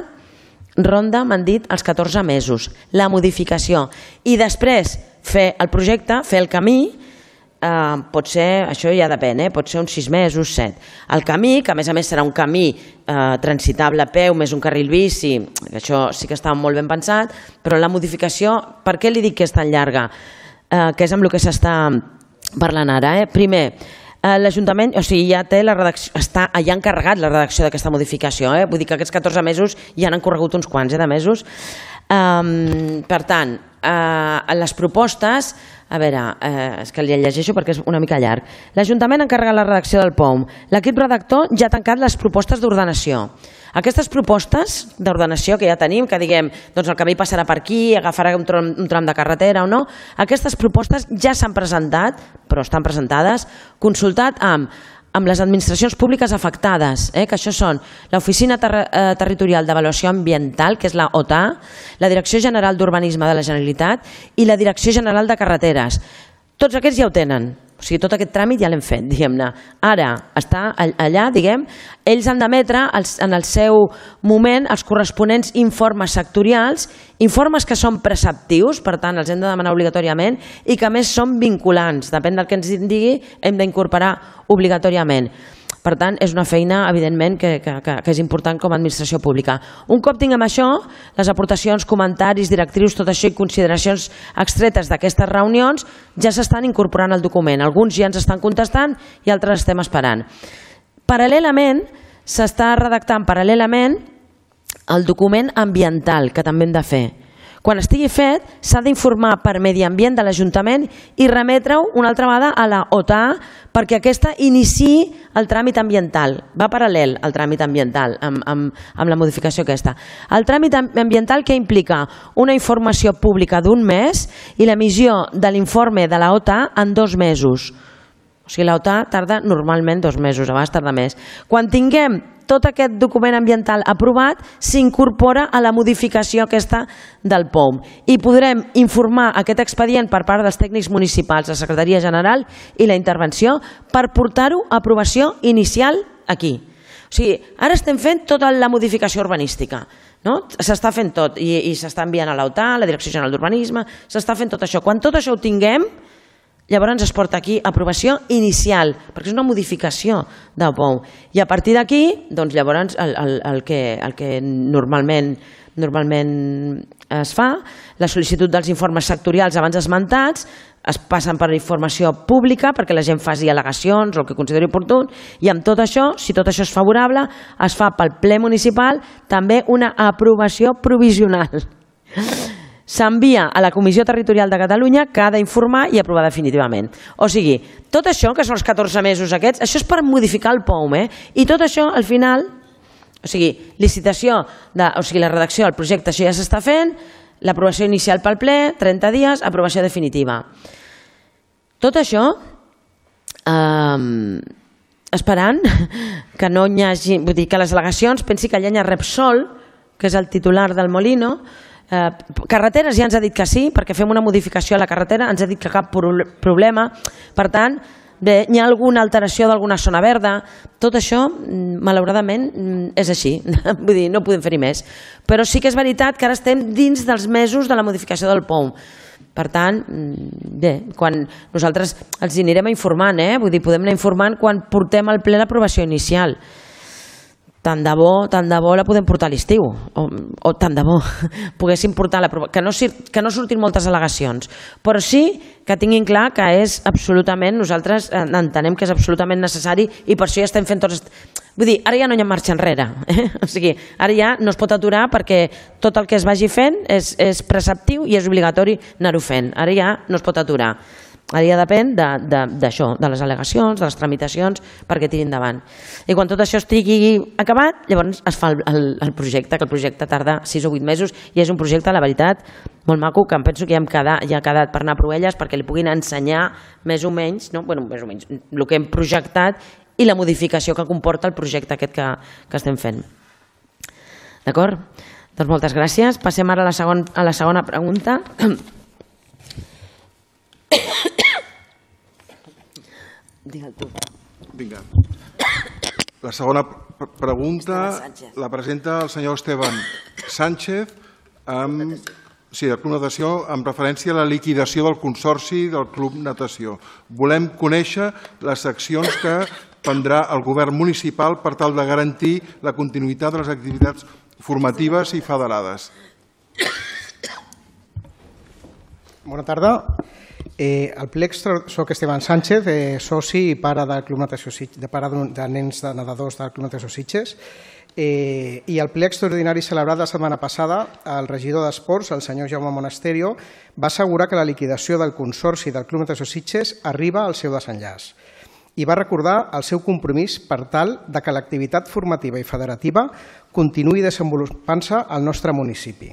Speaker 1: ronda, m'han dit, els catorze mesos. La modificació. I després fer el projecte, fer el camí, eh, pot ser, això ja depèn, eh, pot ser uns sis mesos, set. El camí, que a més a més serà un camí eh, transitable a peu, més un carril bici, això sí que està molt ben pensat, però la modificació, per què li dic que és tan llarga? Eh, que és amb el que s'està parlant ara. Eh? Primer, eh, l'Ajuntament, o sigui, ja té la redacció, està ja encarregat la redacció d'aquesta modificació, eh? Vull dir que aquests catorze mesos ja n'han corregut uns quants eh, de mesos. Um, per tant, uh, les propostes, a veure, uh, és que li llegeixo perquè és una mica llarg. L'Ajuntament encarrega la redacció del P O U M. L'equip redactor ja ha tancat les propostes d'ordenació. Aquestes propostes d'ordenació que ja tenim, que diguem, doncs el camí passarà per aquí, agafarà un tram, un tram de carretera o no, aquestes propostes ja s'han presentat, però estan presentades, consultat amb amb les administracions públiques afectades, eh, que això són l'Oficina Ter eh, Territorial d'Avaluació Ambiental, que és la O T A, la Direcció General d'Urbanisme de la Generalitat i la Direcció General de Carreteres. Tots aquests ja ho tenen. O sigui, tot aquest tràmit ja l'hem fet, diguem-ne. Ara està allà, diguem, ells han d'emetre en el seu moment els corresponents informes sectorials, informes que són preceptius, per tant els hem de demanar obligatòriament i que a més són vinculants. Depèn del que ens digui, hem d'incorporar obligatòriament. Per tant, és una feina, evidentment, que, que, que és important com a administració pública. Un cop tinguem això, les aportacions, comentaris, directrius, tot això i consideracions extretes d'aquestes reunions ja s'estan incorporant al document. Alguns ja ens estan contestant i altres estem esperant. Paral·lelament, s'està redactant paral·lelament el document ambiental, que també hem de fer. Quan estigui fet, s'ha d'informar per Medi Ambient de l'Ajuntament i remetre-ho una altra vegada a la O T A perquè aquesta iniciï el tràmit ambiental. Va paral·lel al tràmit ambiental amb, amb, amb la modificació aquesta. El tràmit ambiental que implica una informació pública d'un mes i l'emissió de l'informe de la O T A en dos mesos. O sigui, la O T A tarda normalment dos mesos, a vegades tarda més. Quan tinguem tot aquest document ambiental aprovat, s'incorpora a la modificació aquesta del P O U M i podrem informar aquest expedient per part dels tècnics municipals, la Secretaria General i la intervenció per portar-ho a aprovació inicial aquí. O sigui, ara estem fent tota la modificació urbanística, no? S'està fent tot i, i s'està enviant a la O T A, a la Direcció General d'Urbanisme, s'està fent tot això. Quan tot això ho tinguem, llavors es porta aquí aprovació inicial, perquè és una modificació del P O U M. I a partir d'aquí, doncs llavors el, el, el, que, el que normalment, normalment es fa, la sol·licitud dels informes sectorials abans esmentats, es passen per informació pública perquè la gent faci al·legacions o el que consideri oportú, i amb tot això, si tot això és favorable, es fa pel ple municipal també una aprovació provisional. S'envia a la Comissió Territorial de Catalunya que ha d'informar i aprovar definitivament. O sigui, tot això, que són els catorze mesos aquests, això és per modificar el P O U M, eh? I tot això, al final, o sigui, licitació, de, o sigui, la redacció del projecte, això ja s'està fent, l'aprovació inicial pel ple, trenta dies, aprovació definitiva. Tot això, eh, esperant que no hi hagi, vull dir, que les al·legacions, pensi que allà hi ha Repsol, que és el titular del Molino. Eh, carreteres ja ens ha dit que sí, perquè fem una modificació a la carretera, ens ha dit que cap problema. Per tant, bé, hi ha alguna alteració d'alguna zona verda, tot això malauradament és així, vull dir, no podem fer-hi més, però sí que és veritat que ara estem dins dels mesos de la modificació del P O U M. Per tant, bé, quan nosaltres els anirem informant, eh? Vull dir, podem anar informant quan portem al ple l'aprovació inicial. Tant de bo, tant de bo la podem portar a l'estiu, o, o tant de bo poguéssim portar l'aprovació, que, no, que no surtin moltes al·legacions, però sí que tinguin clar que és absolutament, nosaltres entenem que és absolutament necessari i per això ja estem fent tots... Vull dir, ara ja no hi ha marxa enrere, eh? O sigui, ara ja no es pot aturar perquè tot el que es vagi fent és, és preceptiu i és obligatori anar-ho fent, ara ja no es pot aturar. Ara ja depèn d'això, de les al·legacions, de les tramitacions, perquè tiri endavant. I quan tot això estigui acabat, llavors es fa el projecte, que el projecte tarda sis o vuit mesos i és un projecte, la veritat, molt maco, que em penso que ja ha quedat per anar a Proelles perquè li puguin ensenyar més o menys, bueno, més o menys, el que hem projectat i la modificació que comporta el projecte aquest que estem fent. D'acord? Doncs moltes gràcies. Passem ara a la segona pregunta. Digue'l tu.
Speaker 14: Vinga. La segona pregunta la presenta el senyor Esteban Sánchez amb, sí, de Club Natació, amb referència a la liquidació del consorci del Club Natació. Volem conèixer les accions que prendrà el govern municipal per tal de garantir la continuïtat de les activitats formatives i federades.
Speaker 15: Bona tarda. Al ple soc Esteban Sánchez, soci i pare del Club Natació Sitges, de pare de nens de nedadors del Club Natació Sitges. I al ple extraordinari celebrat la setmana passada, el regidor d'Esports, el senyor Jaume Monasterio, va assegurar que la liquidació del consorci del Club Natació Sitges arriba al seu desenllaç i va recordar el seu compromís per tal de que l'activitat formativa i federativa continuï desenvolupant-se al nostre municipi.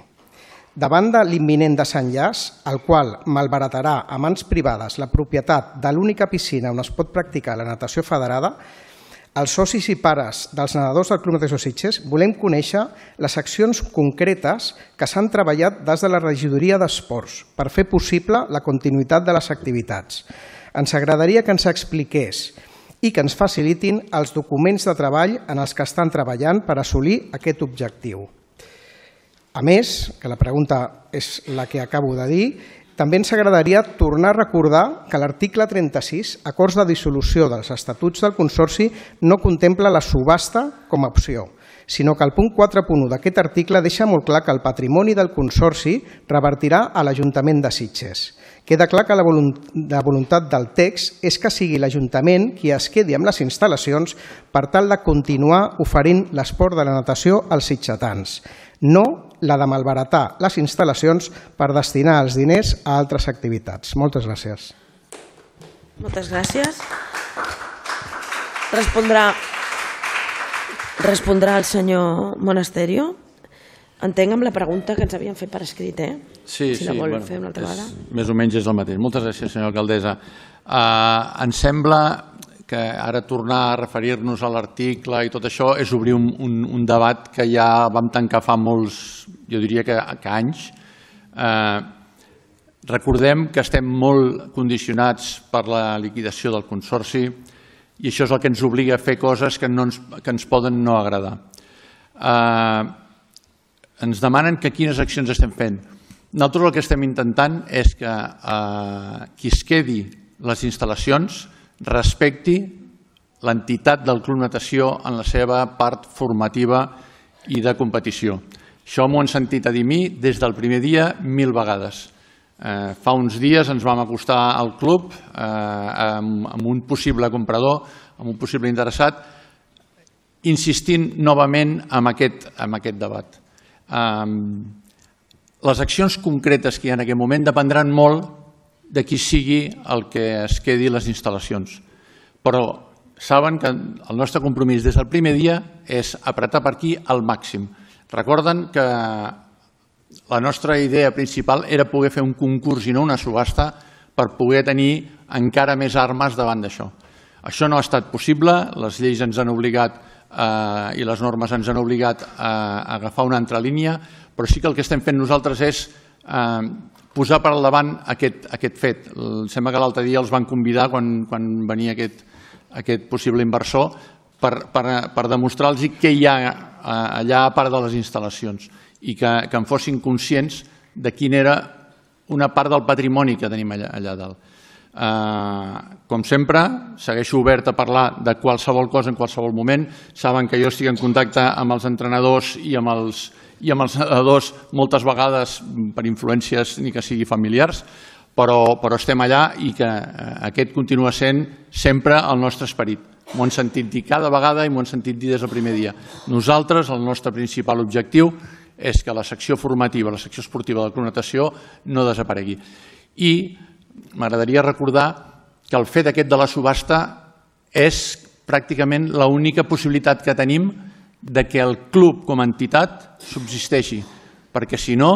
Speaker 15: Davant de l'imminent desenllaç, el qual malbaratarà a mans privades la propietat de l'única piscina on es pot practicar la natació federada, els socis i pares dels nedadors del Club Natació Sitges volem conèixer les accions concretes que s'han treballat des de la regidoria d'Esports per fer possible la continuïtat de les activitats. Ens agradaria que ens expliqués i que ens facilitin els documents de treball en els que estan treballant per assolir aquest objectiu. A més, que la pregunta és la que acabo de dir, també ens agradaria tornar a recordar que l'article trenta-sis, acords de dissolució dels estatuts del Consorci, no contempla la subhasta com a opció, sinó que el punt quatre punt u d'aquest article deixa molt clar que el patrimoni del Consorci revertirà a l'Ajuntament de Sitges. Queda clar que la voluntat del text és que sigui l'Ajuntament qui es quedi amb les instal·lacions per tal de continuar oferint l'esport de la natació als sitgetans, no la de malbaratar les instal·lacions per destinar els diners a altres activitats. Moltes gràcies.
Speaker 1: Moltes gràcies. Respondrà, respondrà el senyor Monasterio. Entenc amb la pregunta que ens havien fet per escrit, eh?
Speaker 16: Sí,
Speaker 1: si la
Speaker 16: sí,
Speaker 1: vol
Speaker 16: bueno,
Speaker 1: fer una altra vegada.
Speaker 16: és, més o menys és el mateix. Moltes gràcies, senyora alcaldessa. Uh, ens sembla que ara tornar a referir-nos a l'article i tot això és obrir un, un, un debat que ja vam tancar fa molts, jo diria que, que anys. Uh, recordem que estem molt condicionats per la liquidació del Consorci i això és el que ens obliga a fer coses que, no ens, que ens poden no agradar. Uh, ens demanen que quines accions estem fent. Nosaltres el que estem intentant és que eh, qui es quedi les instal·lacions respecti l'entitat del Club Natació en la seva part formativa i de competició. Això m'ho han sentit a dir mi des del primer dia mil vegades. Eh, fa uns dies ens vam acostar al club eh, amb, amb un possible comprador, amb un possible interessat, insistint novament en aquest, en aquest debat. Um, les accions concretes que hi ha en aquest moment dependran molt de qui sigui el que es quedi les instal·lacions. Però saben que el nostre compromís des del primer dia és apretar per aquí al màxim. Recorden que la nostra idea principal era poder fer un concurs i no una subhasta per poder tenir encara més armes davant d'això. Això no ha estat possible, les lleis ens han obligat eh, i les normes ens han obligat a agafar una altra línia, però sí que el que estem fent nosaltres és eh, posar per al davant aquest, aquest fet. Em sembla que l'altre dia els van convidar quan, quan venia aquest, aquest possible inversor per, per, per demostrar-los què hi ha allà a part de les instal·lacions i que, que en fossin conscients de quina era una part del patrimoni que tenim allà, allà dalt. Uh, com sempre, segueixo obert a parlar de qualsevol cosa en qualsevol moment. Saben que jo estic en contacte amb els entrenadors i amb els, i amb els nedadors moltes vegades per influències ni que sigui familiars, però, però estem allà i que uh, aquest continua sent sempre el nostre esperit. M'ho han sentit dir cada vegada i m'ho han sentit dir des del primer dia. Nosaltres, el nostre principal objectiu és que la secció formativa, la secció esportiva del Club Natació no desaparegui. I m'agradaria recordar que el fet aquest de la subhasta és pràcticament l'única possibilitat que tenim de que el club com a entitat subsisteixi, perquè si no,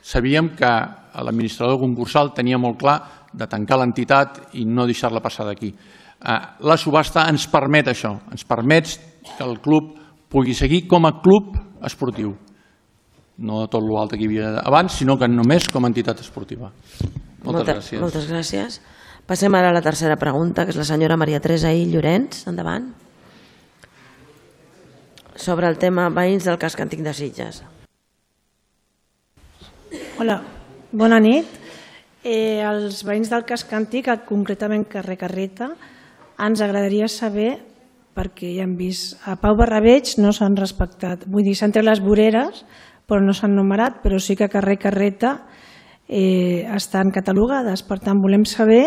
Speaker 16: sabíem que l'administrador concursal tenia molt clar de tancar l'entitat i no deixar-la passar d'aquí. La subhasta ens permet això, ens permet que el club pugui seguir com a club esportiu. No de tot l'altre que hi havia abans, sinó que només com a entitat esportiva. Moltes gràcies.
Speaker 1: Moltes gràcies. Passem ara a la tercera pregunta, que és la senyora Maria Teresa I. Llorenç. Endavant. Sobre el tema veïns del casc antic de Sitges.
Speaker 17: Hola, bona nit. Eh, els veïns del casc antic, concretament carrer Carreta, ens agradaria saber, perquè ja hem vist, a Pau Barrabeig no s'han respectat. Vull dir, s'han tret les voreres, però no s'han numerat, però sí que a carrer Carreta eh, estan catalogades. Per tant, volem saber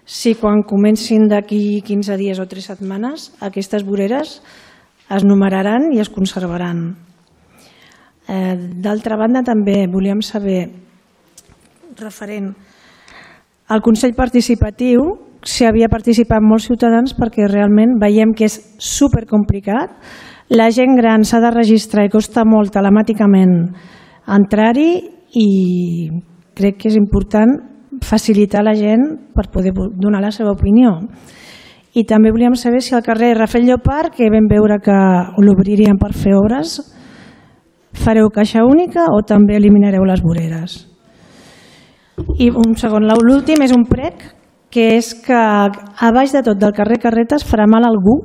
Speaker 17: si quan comencin d'aquí quinze dies o tres setmanes aquestes voreres es numeraran i es conservaran. Eh, D'altra banda, també volíem saber, referent al Consell Participatiu, si havia participat molts ciutadans, perquè realment veiem que és supercomplicat. La gent gran s'ha de registrar i costa molt telemàticament entrar-hi i crec que és important facilitar a la gent per poder donar la seva opinió. I també volíem saber si al carrer Rafael Llopart, que vam veure que l'obririen per fer obres, fareu caixa única o també eliminareu les voreres? I un segon, l'últim és un prec, que és que a baix de tot del carrer Carreta es farà mal a algú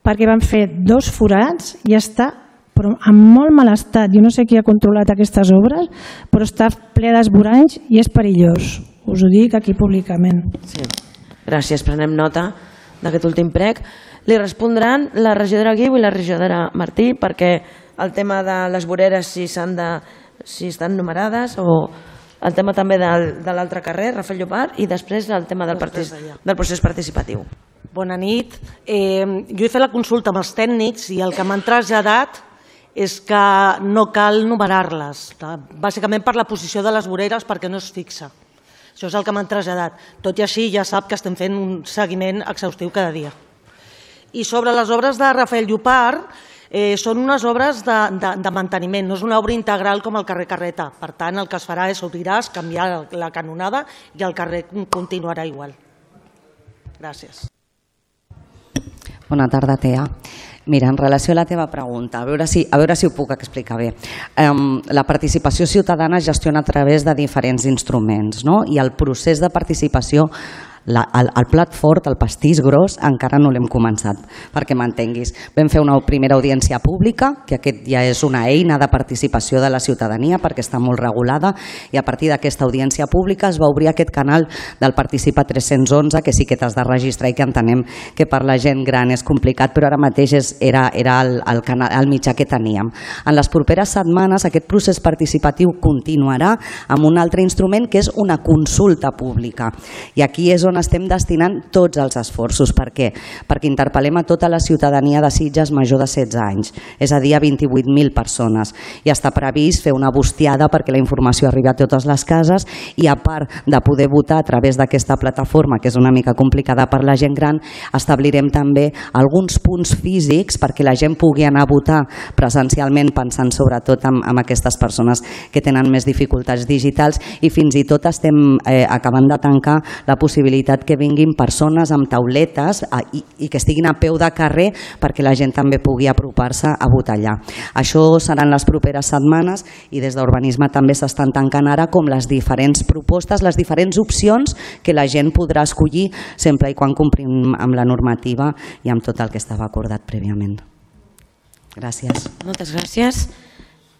Speaker 17: perquè van fer dos forats i està però en molt mal estat. Jo no sé qui ha controlat aquestes obres, però està ple d'esvoranys i és perillós. Us ho dic aquí públicament.
Speaker 1: Sí. Gràcies, prenem nota d'aquest últim prec. Li respondran la regidora Guiu i la regidora Martí, perquè el tema de les voreres, si, de, si estan numerades, o el tema també del, de l'altre carrer, Rafael Llopart, i després el tema del, partic, del procés participatiu.
Speaker 12: Bona nit. Eh, jo he fet la consulta amb els tècnics i el que m'han traslladat és que no cal numerar-les, bàsicament per la posició de les voreres perquè no es fixa. Això és el que m'han traslladat. Tot i així ja sap que estem fent un seguiment exhaustiu cada dia. I sobre les obres de Rafael Llopart, eh, són unes obres de, de, de manteniment, no és una obra integral com el carrer Carreta. Per tant, el que es farà és obrirà, canviar la canonada i el carrer continuarà igual. Gràcies.
Speaker 18: Bona tarda, Tea. Mira, en relació a la teva pregunta, a veure si, a veure si ho puc explicar bé. Um, la participació ciutadana es gestiona a través de diferents instruments, no? I el procés de participació, la, el, el plat fort, el pastís gros, encara no l'hem començat, perquè m'entenguis. Vam fer una primera audiència pública, que aquest ja és una eina de participació de la ciutadania perquè està molt regulada, i a partir d'aquesta audiència pública es va obrir aquest canal del Participa tres-cents onze, que sí que t'has de registrar i que entenem que per la gent gran és complicat, però ara mateix és, era, era el, el, canal, el mitjà que teníem. En les properes setmanes aquest procés participatiu continuarà amb un altre instrument que és una consulta pública, i aquí és on estem destinant tots els esforços. Per què? Perquè interpel·lem a tota la ciutadania de Sitges major de setze anys, és a dir, a vint-i-vuit mil persones, i està previst fer una bustiada perquè la informació arribi a totes les cases, i a part de poder votar a través d'aquesta plataforma, que és una mica complicada per la gent gran, establirem també alguns punts físics perquè la gent pugui anar a votar presencialment, pensant sobretot en, en aquestes persones que tenen més dificultats digitals, i fins i tot estem eh, acabant de tancar la possibilitat que vinguin persones amb tauletes a, i, i que estiguin a peu de carrer perquè la gent també pugui apropar-se a votar allà. Això seran les properes setmanes, i des d'Urbanisme també s'estan tancant ara com les diferents propostes, les diferents opcions que la gent podrà escollir sempre i quan complim amb la normativa i amb tot el que estava acordat prèviament. Gràcies.
Speaker 1: Moltes gràcies.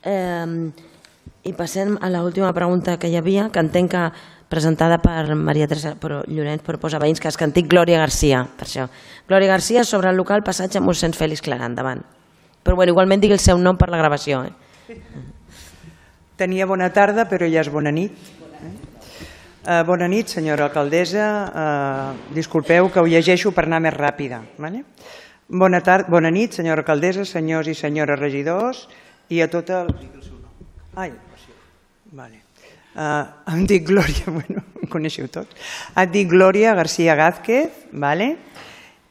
Speaker 1: Eh, I passem a l'última pregunta que hi havia, que entenc que presentada per Maria Teresa Llorenç, però posa veïns casc antic, Glòria Garcia, per això. Glòria Garcia, sobre el local passatge mossèn Fèlix Clarà, endavant. Però bueno, igualment digui el seu nom per la gravació. Eh?
Speaker 19: Tenia bona tarda, però ja és bona nit. Uh, bona nit, senyora alcaldessa. Uh, disculpeu que ho llegeixo per anar més ràpida. Vale? Bona, tarda, bona nit, senyora alcaldessa, senyors i senyores regidors, i a tot el... Ai, vale. Uh, em dic Glòria, bueno, coneixeu tots. Et dic Glòria García Gázquez, vale?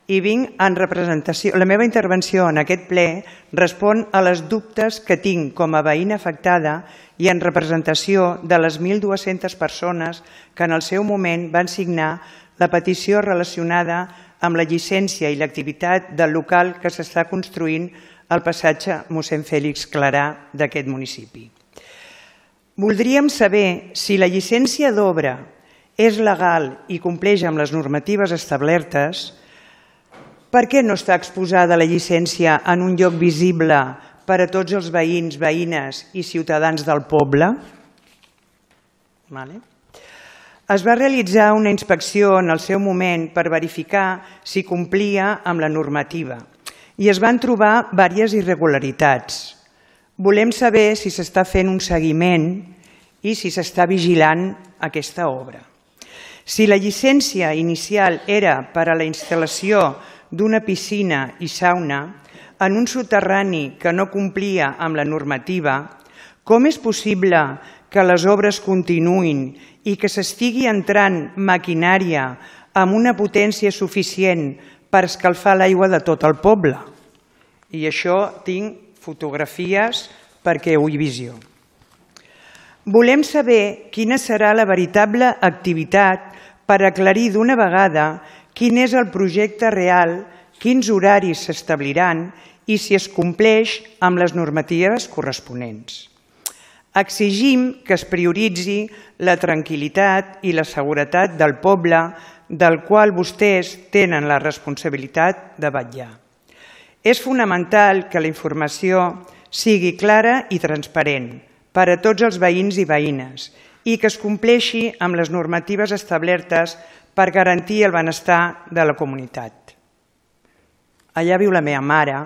Speaker 19: I vinc en representació... La meva intervenció en aquest ple respon a les dubtes que tinc com a veïna afectada i en representació de les mil dues-centes persones que en el seu moment van signar la petició relacionada amb la llicència i l'activitat del local que s'està construint al passatge mossèn Fèlix Clarà d'aquest municipi. Voldríem saber si la llicència d'obra és legal i compleix amb les normatives establertes. Per què no està exposada la llicència en un lloc visible per a tots els veïns, veïnes i ciutadans del poble? Es va realitzar una inspecció en el seu moment per verificar si complia amb la normativa i es van trobar diverses irregularitats. Volem saber si s'està fent un seguiment i si s'està vigilant aquesta obra. Si la llicència inicial era per a la instal·lació d'una piscina i sauna en un soterrani que no complia amb la normativa, com és possible que les obres continuïn i que s'estigui entrant maquinària amb una potència suficient per escalfar l'aigua de tot el poble? I això tinc fotografies perquè ho hi visió. Volem saber quina serà la veritable activitat per aclarir d'una vegada quin és el projecte real, quins horaris s'establiran i si es compleix amb les normatives corresponents. Exigim que es prioritzi la tranquil·litat i la seguretat del poble del qual vostès tenen la responsabilitat de vetllar. És fonamental que la informació sigui clara i transparent per a tots els veïns i veïnes i que es compleixi amb les normatives establertes per garantir el benestar de la comunitat. Allà viu la meva mare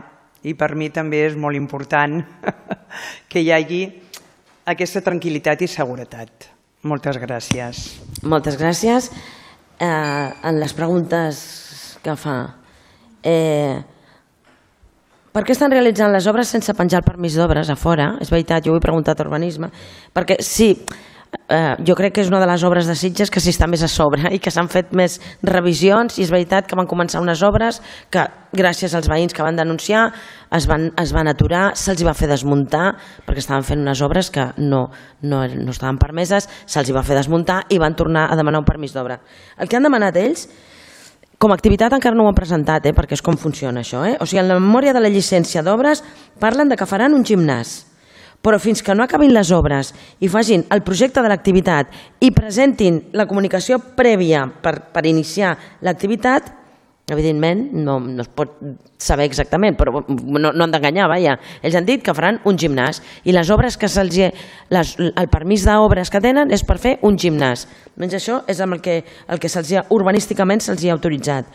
Speaker 19: i per mi també és molt important que hi hagi aquesta tranquil·litat i seguretat. Moltes gràcies.
Speaker 1: Moltes gràcies. Eh, en les preguntes que fa, eh, per què estan realitzant les obres sense penjar el permís d'obres a fora? És veritat, jo ho he preguntat a Urbanisme, perquè sí, eh, jo crec que és una de les obres de Sitges que s'hi està més a sobre i que s'han fet més revisions i és veritat que van començar unes obres que gràcies als veïns que van denunciar es van, es van aturar, se'ls va fer desmuntar perquè estaven fent unes obres que no, no, no estaven permeses, se'ls va fer desmuntar i van tornar a demanar un permís d'obra. El que han demanat ells, com a activitat encara no ho han presentat, eh, perquè és com funciona això. Eh? O sigui, en la memòria de la llicència d'obres parlen de que faran un gimnàs, però fins que no acabin les obres i facin el projecte de l'activitat i presentin la comunicació prèvia per, per iniciar l'activitat, evidentment no, no es pot saber exactament, però no, no han d'enganyar, vaja. Ells han dit que faran un gimnàs i les obres que se'ls les, el permís d'obres que tenen és per fer un gimnàs. Menys això és el que, el que se'ls urbanísticament se'ls ha autoritzat.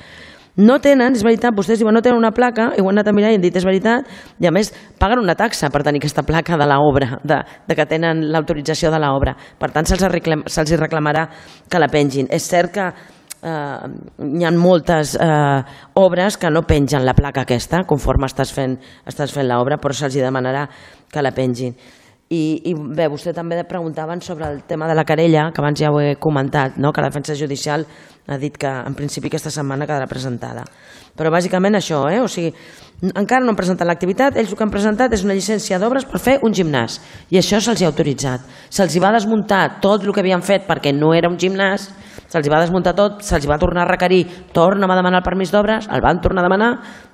Speaker 1: No tenen, és veritat, vostès diuen no tenen una placa, i ho han anat a mirar i han dit és veritat, i a més paguen una taxa per tenir aquesta placa de l'obra, de, de que tenen l'autorització de l'obra. Per tant, se'ls reclam, se'ls reclamarà que la pengin. És cert que Uh, hi ha moltes uh, obres que no pengen la placa aquesta conforme estàs fent, estàs fent l'obra, però se'ls demanarà que la pengin. I, i bé, vostè també preguntaven sobre el tema de la querella, que abans ja ho he comentat, no? Que la defensa judicial ha dit que en principi aquesta setmana quedarà presentada. Però bàsicament això, eh? O sigui, encara no han presentat l'activitat, ells el que han presentat és una llicència d'obres per fer un gimnàs i això se'ls ha autoritzat. Se'ls va desmuntar tot el que havien fet perquè no era un gimnàs, se'ls va desmuntar tot, se'ls va tornar a requerir, torna'm a demanar el permís d'obres, el van tornar a demanar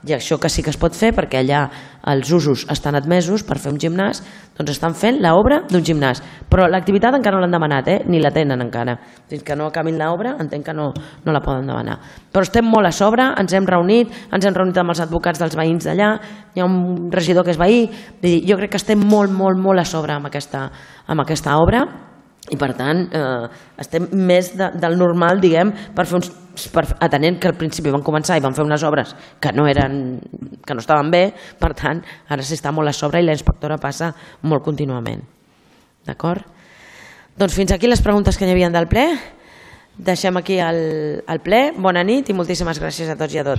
Speaker 1: i això que sí que es pot fer perquè allà els usos estan admesos per fer un gimnàs, doncs estan fent l'obra d'un gimnàs. Però l'activitat encara no l'han demanat, eh? Ni la tenen encara. Fins que no acabin l'obra entenc que no, no la poden demanar. Però estem molt a sobre, ens hem reunit, ens hem reunit amb els advocats dels veïns d'allà, hi ha un regidor que és veí, jo crec que estem molt, molt, molt a sobre amb aquesta, amb aquesta obra i per tant eh, estem més de, del normal, diguem, per fer uns, per, atenent que al principi van començar i van fer unes obres que no eren, que no estaven bé, per tant ara s'està molt a sobre i la inspectora passa molt contínuament. D'acord? Doncs fins aquí les preguntes que hi havia del ple. Deixem aquí el, el ple. Bona nit i moltíssimes gràcies a tots i a totes.